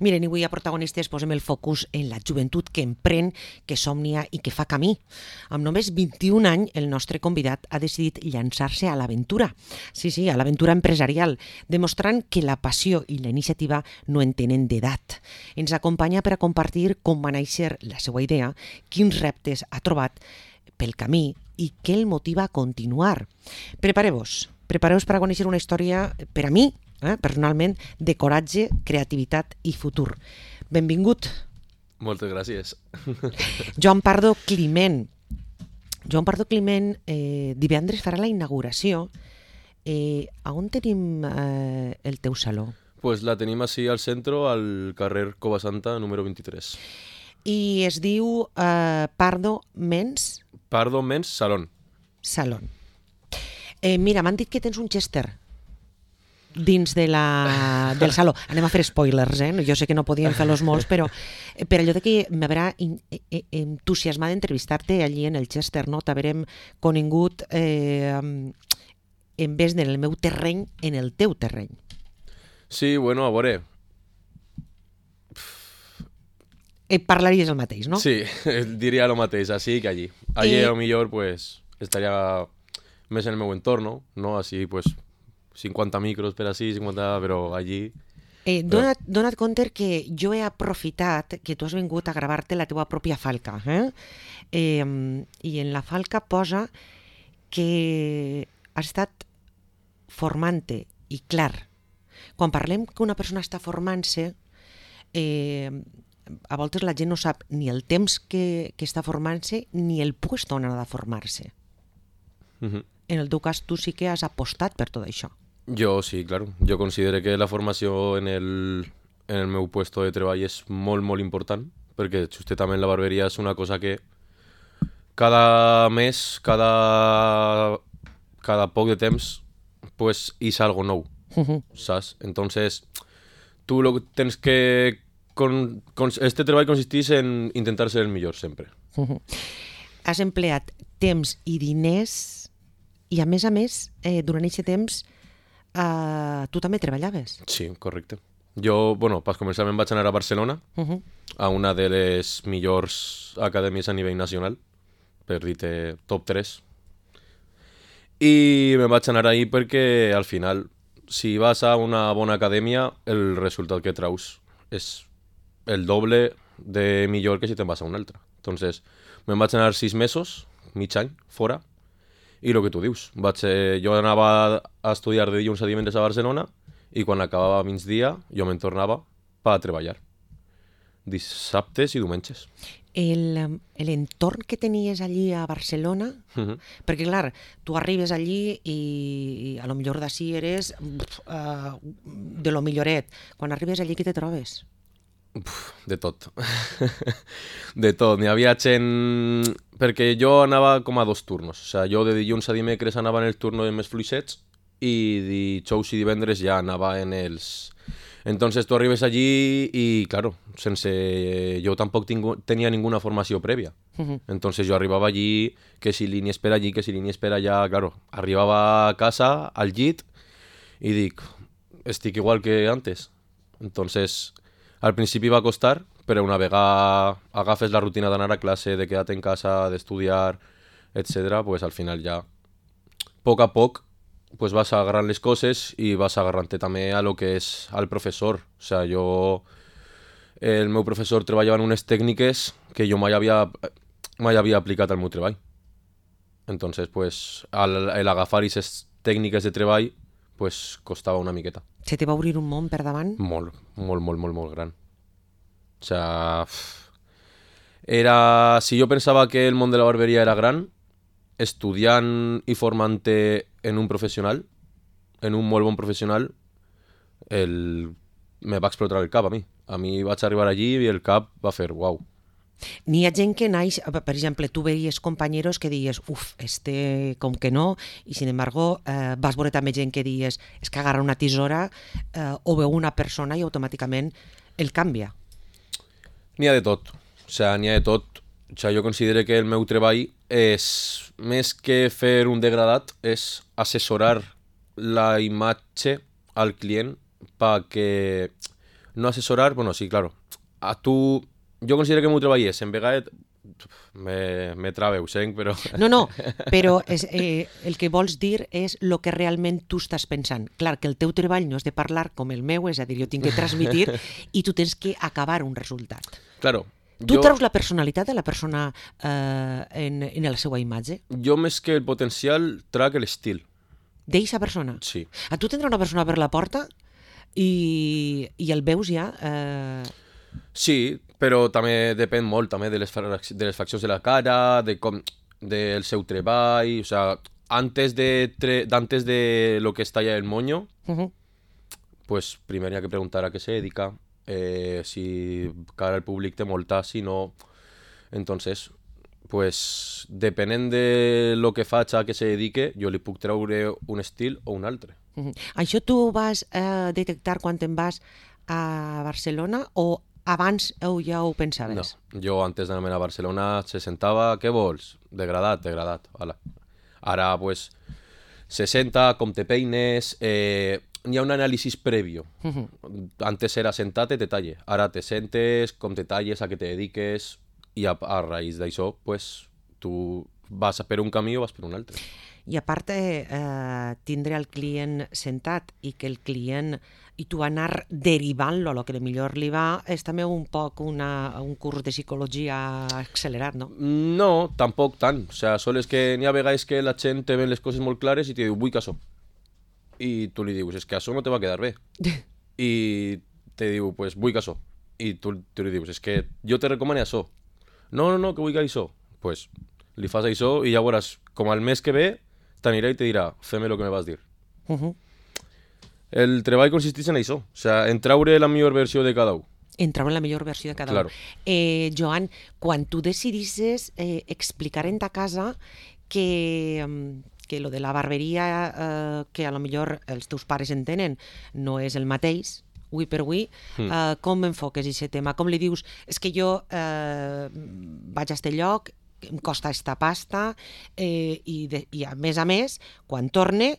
Miren, avui a Protagonistes posem el focus en la joventut que emprèn, que somnia i que fa camí. Amb només 21 anys, el nostre convidat ha decidit llançar-se a l'aventura. Sí, a l'aventura empresarial, demostrant que la passió i la iniciativa no en tenen d'edat. Ens acompanya per a compartir com va néixer la seva idea, quins reptes ha trobat pel camí i què el motiva a continuar. Prepareu-vos per a conèixer una història, per a mi, personalment, de coratge, creativitat i futur. Benvingut. Moltes gràcies. Joan Pardo Climent. Joan Pardo Climent divendres farà la inauguració. A on tenim el teu saló? Pues la tenim així al centre, al carrer Cova Santa, número 23. I es diu Pardo Men's Pardo Men's Salón. Salón. Mira, m'han dit que tens un Chester dins del saló. Anem a fer spoilers, Jo sé que no podíem fer-los molts, però per allò de que m'haurà entusiasmat d'entrevistar-te allí en el Chester, no? T'haurem conegut en vez del meu terreny, en el teu terreny. Sí, bueno, a veure. Parlaries el mateix, no? Sí, diria el mateix, així que allí. Allí a lo millor pues, estaria més en el meu entorn, no? Així, pues, 50 micros per així, 50, però allí... Dona't compte que jo he aprofitat que tu has vingut a gravar-te la teva pròpia falca. I en la falca posa que has estat formant-te. I clar, quan parlem que una persona està formant-se, a voltes la gent no sap ni el temps que està formant-se ni el lloc on ha de formar-se. En el teu cas, tu sí que has apostat per tot això. Jo sí, claro. Jo considero que la formació en el meu puesto de treball és molt, molt important, perquè justament la barberia és una cosa que cada mes, cada poc de temps, pues és algo nou, saps? Entonces, tu lo que tens que... Este treball consisteix en intentar ser el millor sempre. Has empleat temps i diners i, a més, durant aquest temps, tu també treballaves. Sí, correcte. Jo, per començar, me'n vaig anar a Barcelona, a una de les millors acadèmies a nivell nacional, per dir-te top 3. I me'n vaig anar ahí perquè, al final, si vas a una bona acadèmia, el resultat que traus és el doble de millor que si te'n vas a una altra. Entonces, me'n vaig anar 6 mesos, mig any, fora, i el que tu dius, jo anava a estudiar de dilluns a divendres a Barcelona i quan acabava migdia jo me'n tornava per treballar, dissabtes i diumenges. L'entorn que tenies allí a Barcelona, perquè clar, tu arribes allí i a lo millor d'ací eres de lo milloret. Quan arribes allí, què te trobes? De tot. De tot. N'hi havia gent... Perquè jo anava com a 2 turnos. O sigui, jo de dilluns a dimecres anava en el turno de més fluixets i dijous i divendres ja anava en els... Entonces tu arribes allí i, claro, jo tampoc tenia ninguna formació prèvia. Entonces jo arribava allí, que si línies per allí, que si línies per allà... Claro, arribava a casa, al llit, i dic, estic igual que antes. Entonces... Al principi va costar, però una vegada agafes la rutina d'anar a classe, de quedar en casa, d'estudiar, etc., pues al final ja, poc a poc, pues vas agarrant les coses i vas agarrant-te també a lo que és al professor. O sigui, el meu professor treballava en unes tècniques que jo mai havia aplicat al meu treball. Entonces, pues, l'agafar aquestes tècniques de treball, pues, costava una miqueta. Se te va obrir un món per davant? Molt gran. O sea, si jo pensava que el món de la barberia era gran, estudiant i formant-te en un professional, en un molt bon professional, me va explotar el cap a mi. A mi vaig arribar allí i el cap va fer uau. N'hi ha gent que naix, per exemple, tu veies companyeros que dies, com que no, i sin embargo vas veure també gent que dies, és que agarra una tisora o veu una persona i automàticament el canvia. N'hi ha de tot, n'hi ha de tot. Jo considero que el meu treball és, més que fer un degradat, és assessorar la imatge al client perquè no assessorar, bueno, sí, claro. A tu... Jo considero que m'ho treballés, en vegades me trabeu, senc, però... No, però el que vols dir és el que realment tu estàs pensant. Clar, que el teu treball no és de parlar com el meu, és a dir, jo tinc que transmitir i tu tens que acabar un resultat. Claro. Tu treus la personalitat de la persona en la seva imatge? Jo més que el potencial trac l'estil. D'eixa persona? Sí. A tu tindrà una persona per la porta i el veus ja... Sí, però també depèn molt també de les faccions de la cara, del seu treball, o sea, antes de lo que está ya el moño, pues primero hay que preguntar a qué se dedica, si cara al públic té molta, si no, entonces, pues depenent de lo que faig a què se dedique, jo li puc treure un estil o un altre. Això tu vas detectar quan te'n vas a Barcelona o abans ja ho pensaves? No, jo antes d'anar a Barcelona se sentava, què vols? Degradat, hala. Ara, pues, se senta, com te peines, hi ha un anàlisi prèvio. Antes era sentate, te talle. Ara te sentes, com te talles, a què te dediques, i a raïs d'això, pues, tu vas per un camí o vas per un altre. I a part tindre el client sentat i que el client i tu anar derivant-lo a lo que millor li va és també un poc un curs de psicologia accelerat, no? No, tampoc tant. O sea, sol és que n'hi ha vegades que la gent te ven les coses molt clares i te diu, vull que això. I tu li dius, és que això no te va quedar bé. I te diu, pues vull que això. I tu li dius, és que jo te recomano això. No, que vull que això. Pues li fas això i ja veuràs, com al mes que ve, t'anirà i te dirà, fem el que me vas dir. El treball consisteix en això, o sea, en treure la millor versió de cada un. En treure la millor versió de cada Claro. un. Joan, quan tu decidisses explicar en ta casa que lo de la barberia, que a lo millor els teus pares entenen, no és el mateix, avui per avui, com enfoques aquest tema? Com li dius, és que jo vaig a este lloc, em costa esta pasta i a més, quan torne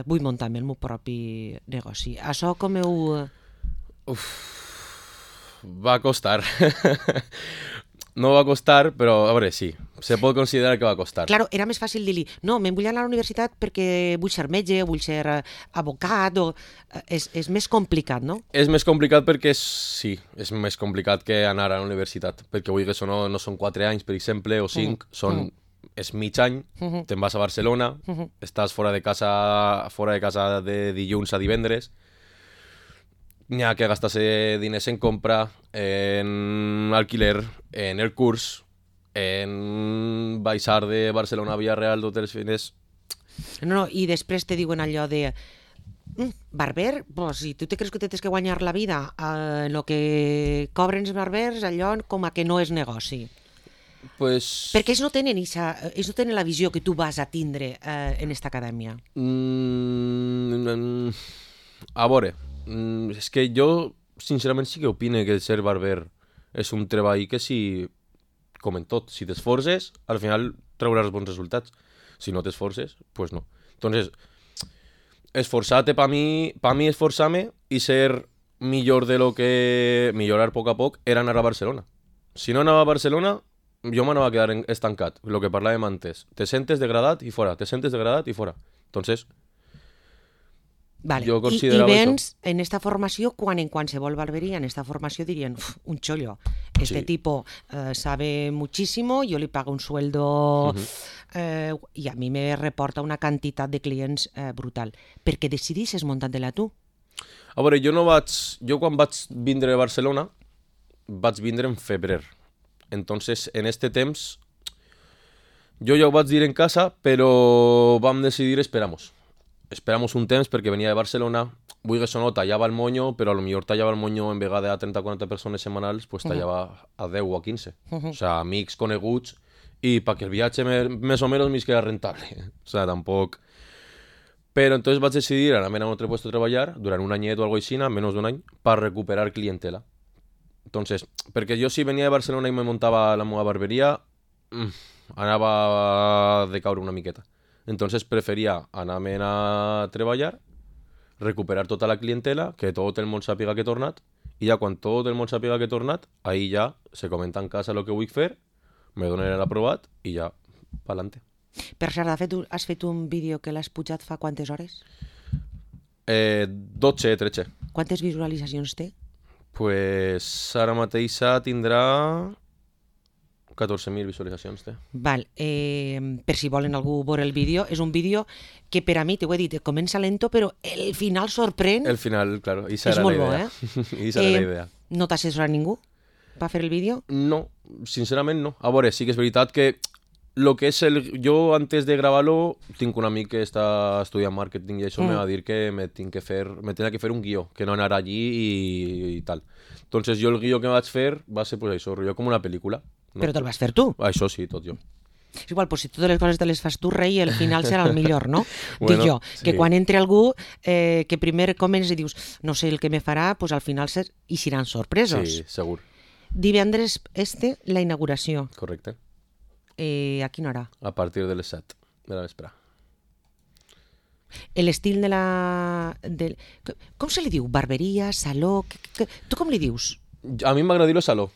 vull muntar-me el meu propi negoci. Això com heu... Va costar. No va costar, però a veure, sí, se pot considerar que va costar. Claro, era més fàcil dir-li, no, me'n vull anar a la universitat perquè vull ser metge, vull ser abocat, és més complicat, no? És més complicat perquè sí, és més complicat que anar a la universitat, perquè vull que això no són 4 anys, per exemple, o 5, és mig any, te'n vas a Barcelona, estàs fora de casa de dilluns a divendres, n'hi ha que gastar-se diners en compra, en alquiler, en el curs, en baixar de Barcelona a Villarreal tots els fines. No, i després te diuen allò de barber, pues, si tu te creus que tens que guanyar la vida en el que cobren els barbers, allò com a que no és negoci. Pues... Perquè ells no tenen la visió que tu vas a tindre en esta acadèmia. A veure, és que jo sincerament sí que opine que ser barber és un treball que si, com en tot, si t'esforces, al final trauràs bons resultats. Si no t'esforces, pues no. Entonces, esforzarte para mí esforzarme y ser millor de lo que millorar poc a poc era anar a Barcelona. Si no anava a Barcelona, jo m'anava a quedar estancat, lo que parlàvem antes. Te sentes degradat i fora, te sentes degradat i fora. Entonces, vale. jo I considerava vens en esta formació, quan en qualsevol barberia, en esta formació dirien, un chollo, este Sí. tipo sabe muchísimo, yo le pago un sueldo i a mi me reporta una quantitat de clients brutal. Per què decidisses muntar-te-la tu? A veure, jo quan vaig vindre a Barcelona, vaig vindre en febrer. Entonces, en este temps, jo ja ho vaig dir en casa, però vam decidir esperamos un temps perquè venia de Barcelona, vull que això no tallava el moño, però a lo millor tallava el moño en vegada a 30-40 persones setmanals, pues tallava a 10 o a 15. O sea, amics coneguts, i perquè el viatge més o menys m'és queda rentable. O sea, tampoc... Però entonces vaig decidir anar a un altre puesto a treballar durant un anyet o algo així, menys d'un any, per recuperar clientela. Entonces, perquè jo si venia de Barcelona i me muntava la meva barberia, anava a decaure una miqueta. Entonces preferia anar-me'n a treballar, recuperar tota la clientela, que tot el món sàpiga que he tornat, i ja quan tot el món sàpiga que he tornat, ahí ja se comenta en casa el que vull fer, me donen l'aprovat i ja, pa'lante. Per cert, has fet un vídeo que l'has pujat fa quantes hores? 12, 13. Quantes visualitzacions té? Pues ara mateixa tindrà 14.000 visualitzacions. Val, per si volen algú veure el vídeo, és un vídeo que per a mi, t'ho he dit, comença lento, però el final sorprèn. El final, claro, esa és era molt la bo, idea. Esa era la idea. No t'ha assessorat ningú per fer el vídeo? No, sincerament no. A veure, sí que és veritat que lo que és jo antes de gravar-lo tinc un amic que està estudiant màrqueting i això me va dir que me tenia que fer un guió, que no anar allí i tal. Entonces jo el guió que vaig fer va ser pues això, jo com una pel·lícula. No? Però te'l vas fer tu? Això sí, tot jo. És igual, pues si totes les coses te les fas tu, rei, el final serà el millor, no? Bueno, dic jo, que sí. quan entre algú, que primer comences i dius, no sé el que me farà, pues al final hi seran sorpresos. Sí, segur. Divendres la inauguració. Correcte. A quina hora? A partir de les 7 de la vespre. L'estil de la... Com se li diu? Barberia, saló... Tu com li dius? A mi m'agrada dir-lo saló.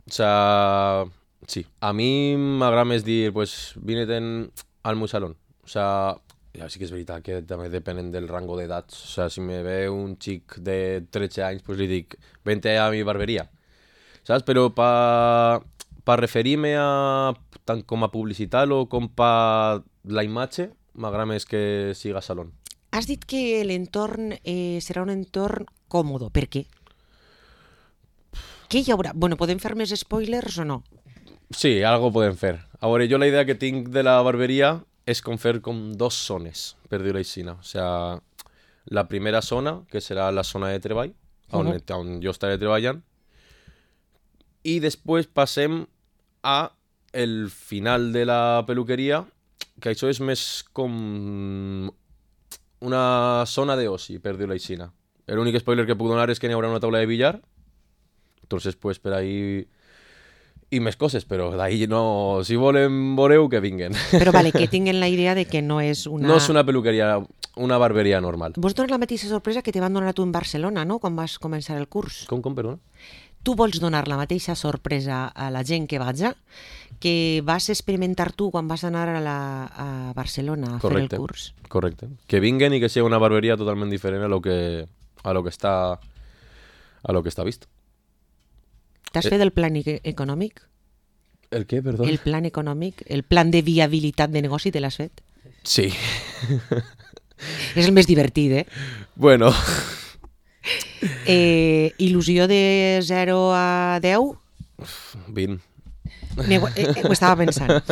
O sea, sí. A mi m'agrada més dir, pues, vine-te'n al meu salón. O sea, ja sí que és veritat que també depenen del rango d'edats. O sea, si me ve un xic de 13 anys, pues li dic, vente a mi barberia. Saps? Però per referir-me a tant com a publicitat o com per la imatge, m'agrada més que siga salón. Has dit que l'entorn serà un entorn còmodo. Per què? Què hi haurà? Bueno, podem fer més spoilers o no? Sí, algo podem fer. A veure, jo la idea que tinc de la barberia és com fer com dos zones, per dir-ho així. O sea, la primera zona, que serà la zona de treball, on jo estaré treballant, i després passem a el final de la peluqueria, que això és més com una zona d'oci, per dir-ho així. L'únic spoiler que puc donar és que n'hi haurà una taula de billar, entonces pues per ahí i més coses, però d'ahí no... Si volen, veureu que vinguen. Però vale, que tinguin la idea de que no és una... No és una peluqueria, una barberia normal. Vols donar la mateixa sorpresa que te van donar a tu en Barcelona, no?, quan vas començar el curs. Com, perdona? Tu vols donar la mateixa sorpresa a la gent que vaja que vas experimentar tu quan vas anar a Barcelona a fer el curs. Correcte. Que vinguen i que sigui una barberia totalment diferent a lo que està vist. T'has fet el plan econòmic? El què, perdó? El plan econòmic, el plan de viabilitat de negoci, te l'has fet? Sí. És el més divertit, eh? Bueno. Il·lusió de 0 a 10? 20. Ho estava pensant.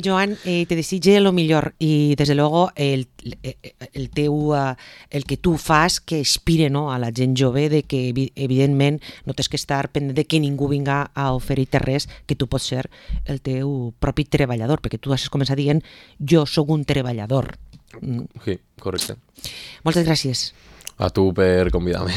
Joan, te desitge lo millor i des de luego el que tu fas que inspire, no, a la gent jove de que evidentment no tens que estar pendent de que ningú vinga a oferir-te res, que tu pots ser el teu propi treballador, perquè tu has començat dient jo sóc un treballador. Sí, correcte. Moltes gràcies. A tu per convidar-me.